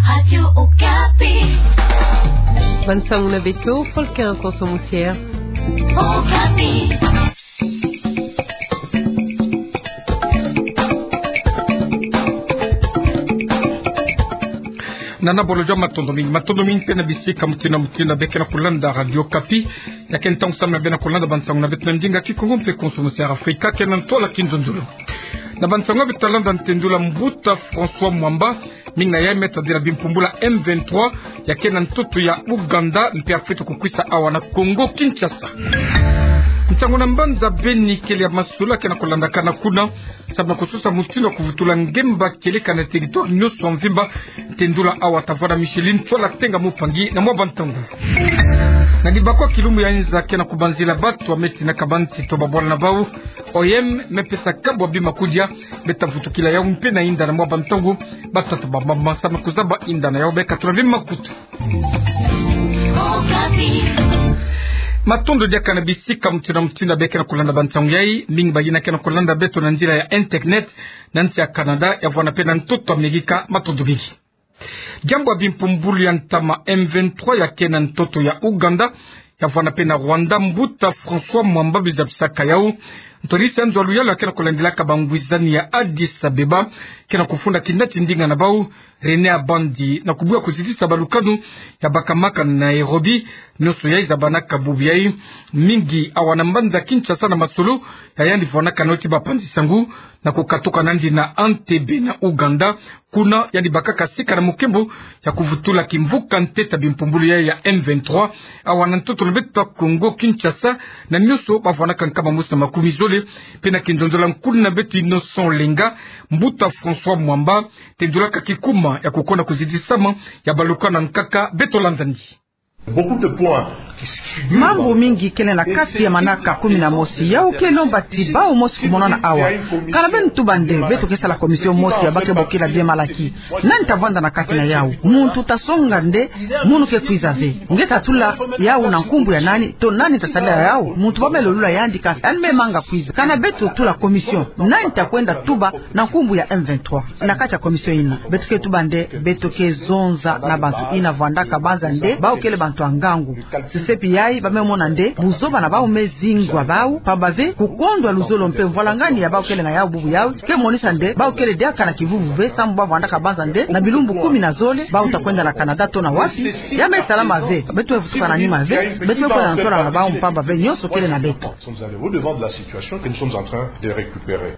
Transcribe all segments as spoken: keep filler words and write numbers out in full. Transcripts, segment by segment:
Radio Okapi. Bansango na beto, Volcan Konso Musiere. Okapi. Nana bolo jua, matondo mingi, matondo mingi mpe na bisika mutindu na mutindu beke na kulanda Radio Okapi. Ya ke ntangu samu na beno kulanda bansango na beto na ndinga Kikongo mpe Konso Musiere Afrika, ke na ntwala Kinzonzolo. Na bansango beto ta landa, ntendula mbuta François Mwamba, mingi na yai me tadila bimpumbulu ya M vingt-trois, ya ke na ntoto ya Ouganda, mpe afweti kukwisa awa na Congo Kinshasa. Nsangu na mbanza Beni, kele ya masolo ke na kulandakana kuna, samu na kusosa mutindu ya kuvutula ngemba kieleka na territoire nyonso mvimba, ntendula awa tavwanda Micheline Tsola Tenga Mupangi na mwa bantangu. Na dibakwa kilumbu ya nza ke na kubanzila bato, a me tina ka banti to babwala na bau, O M me pesa kabwa bima kudia, beta vutukila yau mpe na inda na mwa bantangu, batata ba mama samu na kuzaba inda na yau, beka tula bima kutu. Matondo diaka na bisika mutindu na mutindu beke na kulanda bansango yai, mingi bayina ke na kulanda beto na nzila ya internet, na nsi ya Canada, ya vwanda mpe na ntoto Amerika, matondo mingi. Diambu ya bimpumbulu ya ntama M vingt-trois ya ke na ntoto ya Ouganda, ya vwanda mpe na Rwanda, mbuta François Mwamba bizabisaka yau. Ntwadisi ya nzo ya luyalu ya ke na kulandilaka bangwizani ya Addis Abeba, ke na kufunda kinati ndinga na bau, René Abandi, na kubuya kuzitisa balukanu ya bakamaka na Nairobi, nyonso yai zabanaka bubu yai mingi awa na mbanza Kinshasa na masolo ya yandi vwanaka na oti bapanzi sangu, na kukatuka na yandi na Entebbe na Ouganda, kuna yandi bakaka sika na mukembo ya kuvutula kimvuka ntete ya bimpumbulu yai ya M vingt-trois, awa na ntoto na beto ya Congo Kinshasa, na nyonso bavwanaka nkama mosi na makumi zole, mpe na kinzonzolo ya nkulu na beto Innocent Olenga, mbuta François Mwamba, tendulaka kikuma ya kukonda kuzitisama ya balukanu ya nkaka, beto landa yandi. Mambu mingi kele na kati ya manaka kumi na mosi. Yau ke lomba ti bau mosi kumonana awa. Kana beno tuba nde beto ke sala commission mosi ya bau ke bokila bien malaki. Nani ta vwanda na kati na yau? Muntu ta songa nde munu ke kwiza ve. Nge ta tula yau na nkumbu ya nani? To nani ta sadila yau? Muntu ba me lolula yandi, kasi yandi me manga kwiza. Kana beto tula commission, nani ta kwenda tuba na nkumbu ya M vingt-trois na kati ya commission yina? Beto ke tuba nde beto ke zonza na bantu yina vwandaka banza nde bau kele bantu ya ngangu. Sesepi yai, ba me mona nde buzoba na bau me zingwa bau, pamba ve kukondwa luzolo mpe mvwalangani ya bau kele na yau bubu yau ke monisa nde bau kele diaka na kivuvu ve, samu ba vwandaka banza nde na bilumbu kumi na zole bau ta kwenda na Canada to na wapi. Ya me salama ve, beto me vutuka na nima ve, beto me kwenda na ntwala na bau, mpamba ve nyonso kele na beto. Nous sommes allés au-devant de la situation que nous sommes en train de récupérer.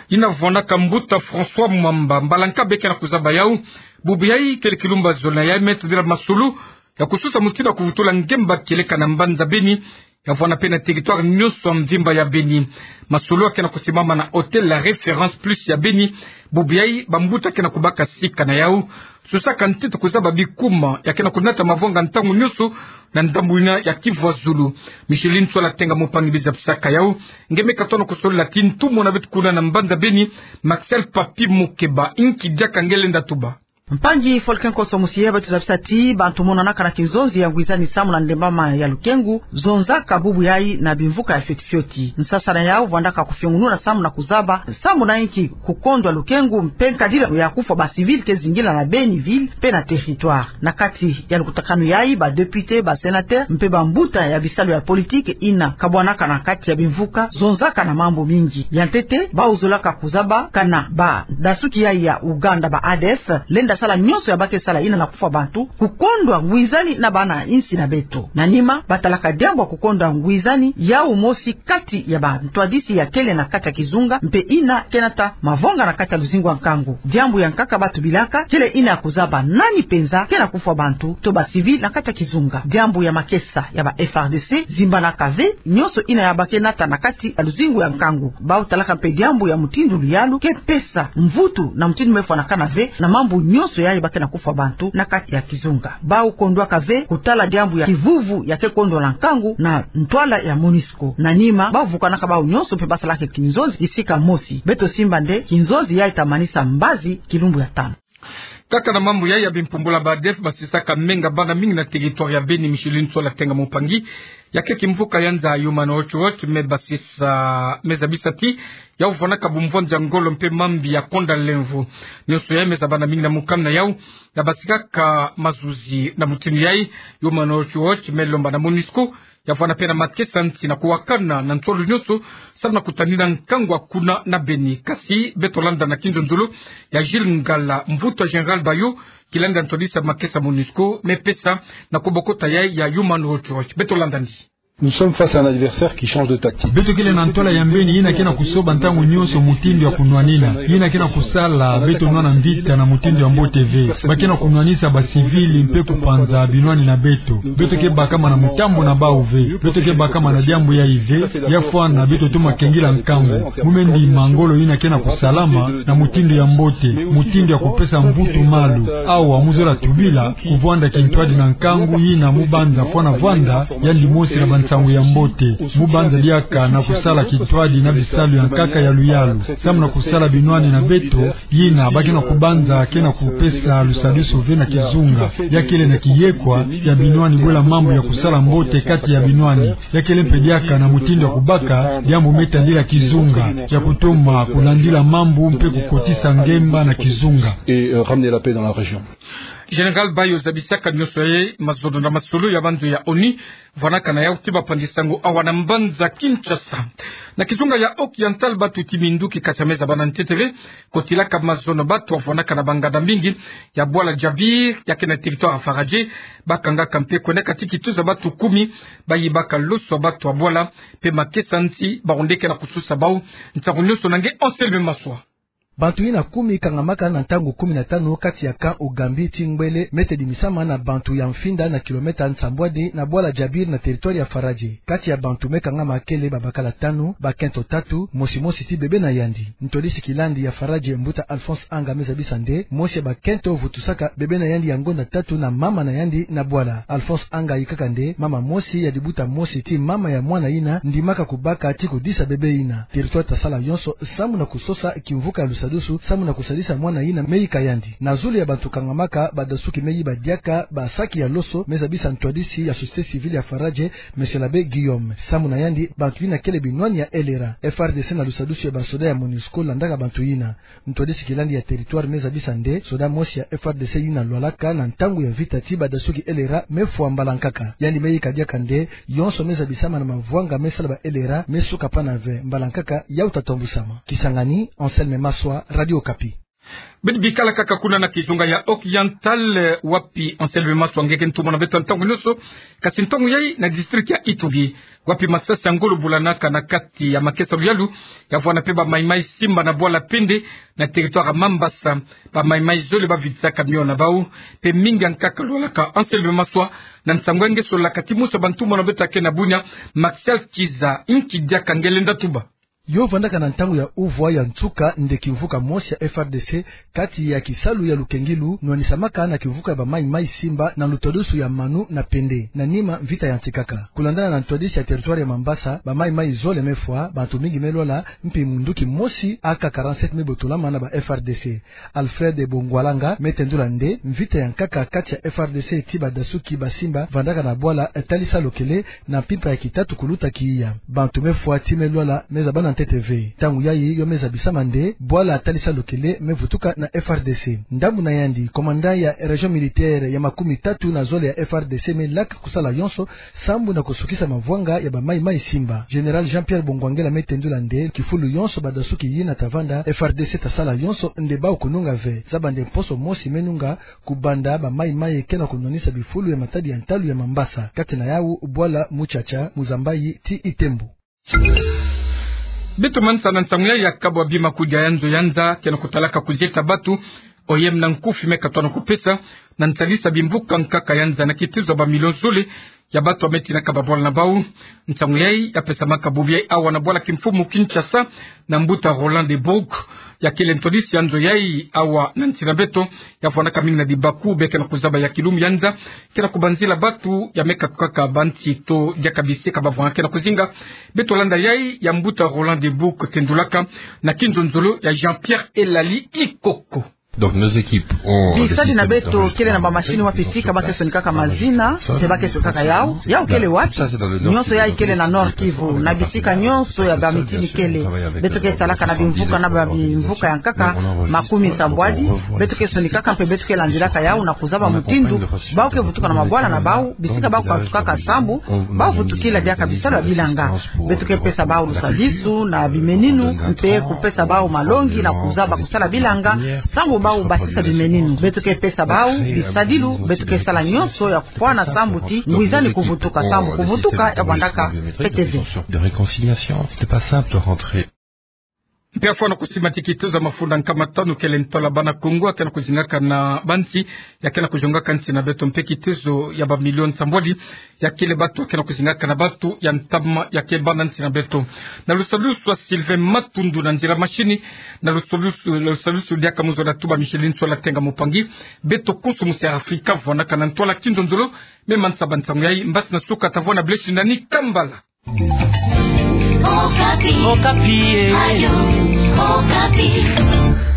Yina vwanaka mbuta François Mwamba, mbala nka beke na kuzaba yau, bubu yai kele kilumbu ya zole na yai me tadila masolo ya kusosa mutindu ya kuvutula ngemba kieleka na mbanza Beni, ya vwanda mpe na territoire nyonso ya mvimba ya Beni. Masolo ya ke na kusimama na Hôtel La Référence Plus ya Beni, bubu yai bambuta ke na kubaka sika na yau, sosaka ntete kuzaba bikuma ya ke na kunata mavanga ntangu nyonso na ndambu yina ya Kivu ya zulu. Micheline Tsola Tenga Mupangi bizabisaka yau. Nge me katono kusolola ti ntumwa na beto kuna na mbanza Beni, Maxel Papy Mokeba. Inki diaka nge lenda tuba? Mpangi Volcan Konso Musiere, beto zabisa ti bantu monanaka na kinzonzi ya ngwizani samu na ndembama ya lukengu, zonzaka bubu yai na bimvuka ya fioti fioti. Nsasa na yau vwandaka kufiongununa samu na kuzaba samu na inki kukondwa lukengu mpe nkadila ya kufwa ba civil ke zingila na Beni ville mpe na territoire. Na kati ya lukutakanu yai, ba député, ba sénateur mpe bambuta ya bisalu ya politique yina kabwanaka na kati ya bimvuka zonzaka na mambu mingi. Ya ntete, bau zolaka kuzaba kana badasuki yai ya Ouganda, ba A D F, lenda sala nyonso ya bau ke sala yina na kufwa bantu, kukondwa ngwizani na bana insi na beto. Na nima, batalaka diambu ya kukondwa ngwizani yau mosi kati ya bantwadisi ya kele na kati ya kizunga, mpe yina ke nata mavanga na kati ya luzingu ya nkangu. Diambu ya nkaka batu bilaka kele yina ya kuzaba nani mpenza ke na kufwa bantu to ba civil na kati ya kizunga. Diambu ya makesa ya ba F A R D C zimbanaka ve nyonso yina ya bau ke nata na kati ya luzingu ya nkangu. Bau talaka mpe diambu ya mutindu luyalu ke pesa mvutu na mutindu me fwanakana ve na mambu nyonso yai bau ke na kufwa bantu na kati ya kizunga. Bau kondwaka ve kutala diambu ya kivuvu ya ke kondwa na nkangu na ntwala ya MONUSCO. Na nima, bau vukanaka bau nyonso mpe basalaka kinzonzi kisika mosi. Beto simba nde kinzonzi yai ta manisa mbazi kilumbu ya tanu. Kaka na mambu yai ya bimpumbula ba ADF basisaka menga bana mingi na territoire ya Beni, Micheline Sola Tenga Mupangi, ya ke kimvuka ya nza Human Rights Watch, me basisa, me zabisa ti yau vwanaka bumvwanzi ya ngolo mpe mambi ya konda lemvo. Nionso yai me za bana mingi na mukanda yau, ya basikaka mazuzi na mutindu yai. Human Rights Watch me lomba na MONUSCO ya vwana pena makesa nsi na kuwakana na nsolo nionso, samu na kutanina nkangu kuna na Beni. Kasi beto landa na kinzonzolo ya Gilles Ngala, mvutu ya Général Bayo, kilandi ya ntwadisi ya makesa MONUSCO, me pesa na kobokota yai ya Human Rights Watch. Beto landa ni. Nous sommes face à un adversaire qui change de tactique. Beto kele na ntwala ya mbeni yina ke na kusoba ntangu nionso mutindu ya kunwanina. Yina ke na kusala beto nwana mvita na mutindu ya mbote ve. Ba ke na kunwanisa ba civil mpe kupanza binwani na beto. Beto ke bakama na mutambu na bau ve. Beto ke bakama na diambu yai ve. Ya fwana beto toma kengila nkangu. Mu me ndima ngolo yina ke na kusalama na mutindu ya mbote, mutindu ya kupesa mvutu malu. Awa mu zola tubila kuvwanda kintwadi na nkangu yina mu banza fwana vwanda, yandi mosi na bansangu ya mbote. Mu banza diaka na kusala kintwadi na bisalu ya nkaka ya luyalu, samu na kusala binwani na beto, yina ba ke na kubanza ke na kupesa lusadusu ve na kizunga. Ya kele na kiyekwa ya binwani bwela mambu ya kusala mbote kati ya binwani. Ya kele mpe diaka na mutindu ya kubaka diambu me tadila kizunga, ya kutoma kulandila mambu mpe kukotisa ngemba na kizunga. Et, euh, ramener la paix dans la région. Général Bayo zabisaka nionso yai mazono na masolo ya banzo ya ONU vwanaka na yau ti bapanzi sango awa na mbanza Kinshasa. Na kizunga ya Haut-Oriental, batu ti minduki kasa me za bana ntete ve kotilaka mazono batu ya vwanaka na banganda mingi ya bwala Djabir, ya ke na territoire ya Faradje. Ba kangaka mpe kwendaka ti kituza batu kumi, ba yibaka loso ya batu ya bwala, mpe makesa nsi ba onde ke na kususa bau. Nsangu nionso na nge Anselme Maswa. Bantu yina kumi kangamaka na ntangu kumi na tanu kati ya camp Ugambi ti Ngbele, me tedimisama na bantu ya Mfinda na kilomètre nsambwadi na bwala Djabir na territoire ya Faradje. Kati ya bantu me kangama kele babakala tanu, bakento tatu, mosi mosi ti bebe na yandi. Ntwadisi kilandi ya Faradje, mbuta Alphonse Anga, me zabisa nde mosi ya bakento vutusaka bebe na yandi ya ngonda tatu na mama na yandi na bwala. Alphonse Anga yikaka nde mama mosi ya dibuta mosi ti mama ya mwana yina ndimaka kubaka ti kudisa bebe yina. Territoire tasala yonso samu na kusosa kimvuka ya lusadusu samu na kusadisa mwana yina me yika yandi. Na zulu ya bantu kangamaka, badasuki me yiba diaka basaki ya loso, me zabisa ntwadisi ya société civile ya Faradje, Monsieur l'abbé Guillaume. Samu na yandi, bantu yina kele binwani ya L R A. F R D C na lusadusu ya basoda ya MONUSCO landaka bantu yina. Ntwadisi kilandi ya territoire me zabisa nde soda mosi ya F R D C yina lwalaka na ntangu ya vita ti badasuki L R A me fwa mbala nkaka. Yandi me yika diaka nde yonso me zabisama na mavwanga me sala ba L R A me suka pana ve, mbala nkaka yau ta tambusama. Kisangani, Anselme Maswa, Radio Okapi. Bidi bikala kaka kuna na kizunga ya Haut-Oriental, eh, wapi Anselme Maswa nge ke ntumwa na beto ntangu nionso, kasi ntangu yai na district ya Ituri, wapi masasi ya ngolo bulanaka na kati ya makesa luyalu, ya vwana mpe ba Maï-Maï Simba na bwala Pende, na territoire ya Mambasa. Ba Maï-Maï zole bavidisaka camion na bau, mpe mingi ya nkaka lwalaka. Anselme Maswa, na nsangu ya nge solaka ti mosi ya bantumwa na beto ya ke na Bunia, Martial Kiza, inki diaka nge lenda tuba? Yo vandaka na ntangu ya uvwa ya nsuka nde kimvuka mosi ya F R D C kati ya kisalu ya lukengilu nwanisamaka na kimvuka ya ba Maï-Maï Simba na lutadusu ya Manu na Pende, na nima mvita ya ntikaka. Kulandana na ntwadisi ya territoire ya Mambasa, ba Maï-Maï zole me fwa, bantu mingi me lwala, mpi munduki mosi A K quarante-sept me botolama na ba F R D C. Alfred Bongwalanga me tendula nde mvita ya nkaka kati ya F R D C ti badasuki ba Simba vandaka na bwala Talisa Lokele na mpimpa ya kitatu kuluta kiiya. Bantu me fwa ti me lwala me zabana ntete ve. Ntangu yayi yo me zabisama nde bwala Talisa Lokele me vutuka na F R D C. Ndambu na yandi, commandant ya région militaire ya makumi tatu na zole ya F R D C me laka kusala yonso sambu na kusukisa mavwanga ya ba Maï-Maï Simba. Général Jean-Pierre Bongwangela me tendula nde kifulu yonso badasuki yina ta vanda, F R D C ta sala yonso nde bau kununga ve. Zaba nde mposo mosi me nunga kubanda ba Maï-Maï ke na kunwanisa bifulu ya matadi ya ntalu ya Mambasa, kati na yau bwala Mutsatsa, Muzambayi ti Itembo. Beto manisa na nsangu ya ya kabwa bima kudia ya nzo ya nza ke na kutalaka kuzieta batu, O M na nkufi me katona kupesa na ntalisa bimvuka nkaka ya nza na kitizo ba million zole ya batu ya me tinaka babwala na bau. Nsangu yayi ya pesamaka bubu yayi awa na bwala kimfumu Kinshasa, na mbuta Roland de Bourg, ya kele ntwadisi ya nzo yayi awa na nsi na beto, ya fwanaka mingi na dibaku, be ke na kuzaba ya kilumu ya nza ke na kubanzila batu ya me katukaka bansi to diaka bisika bavwanga ke na kuzinga. Beto landa yayi ya mbuta Roland de Bourg tendulaka na kinzonzolo ya Jean-Pierre Elali Ikoko. Donc, nos équipes ont... Bisadi na beto kele na bamasini wapi sika ba ke sonikaka mazina, mpe ba ke sonikaka yau, yau kele wapi? Nyonso yai kele na Nord-Kivu, na bisika nyonso ya bamitini kele. Beto ke salaka na bimvuka na babimvuka ya nkaka makumi sambwadi, beto ke sonikaka mpe beto ke landilaka yau na kuzaba mutindu bau ke vutuka na mabwala na bau, bisika bau katukaka sambu bau vutukila diaka bisalu ya bilanga. Beto ke pesa bau lusadisu na bimeninu, mpe kupesa bau malongi na kuzaba kusala bilanga, sambu bau basisa bimeninu. Beto ke pesa bau bisadilu, beto ke sala nyonso ya kufwana sambu ti ngwizani kuvutuka, sambu kuvutuka ya vwandaka peteve. De réconciliation, c'était pas simple de rentrer. Mpe afwana kusimbati kitezo ya mafunda nkama tanu kele ntwala bana Kongo ya ke na kuzingaka na bansi, ya ke na kuzongaka nsi na beto, mpe kitezo ya bamilioni sambwadi ya kele bato ya ke na kuzingaka na bato ya ntama ya ke banda nsi na beto. Na lusalusu ya Sylvain Matundu na nzila mashini, na lusalusu, lusalusu diaka muzolo ya tuba Micheline Sola Tenga Mupangi, beto konso musi ya Afrika vwandaka na ntwala kinzonzolo. Me mansa ba nsangu yai, mbasi na suka ta vwanda, beleshi nani kambala. Okapi. Okapi, eh. Radio Okapi.